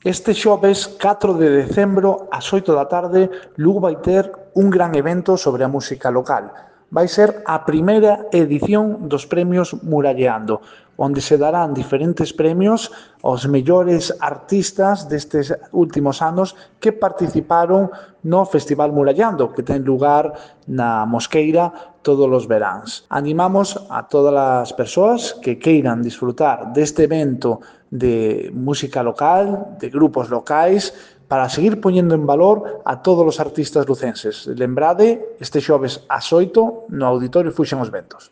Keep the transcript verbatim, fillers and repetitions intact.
Este xoves catro de decembro ás oito da tarde Lugo vai ter un gran evento sobre a música local. Vai ser a primeira edición dos premios Muralleando, onde se darán diferentes premios aos mellores artistas destes últimos anos que participaron no Festival Muralleando, que ten lugar na Mosqueira todos os veráns. Animamos a todas as persoas que queiran disfrutar deste evento de música local, de grupos locais, para seguir poñendo en valor a todos os artistas lucenses. Lembrade, este xoves ás oito no Auditorio Fuxen os Ventos.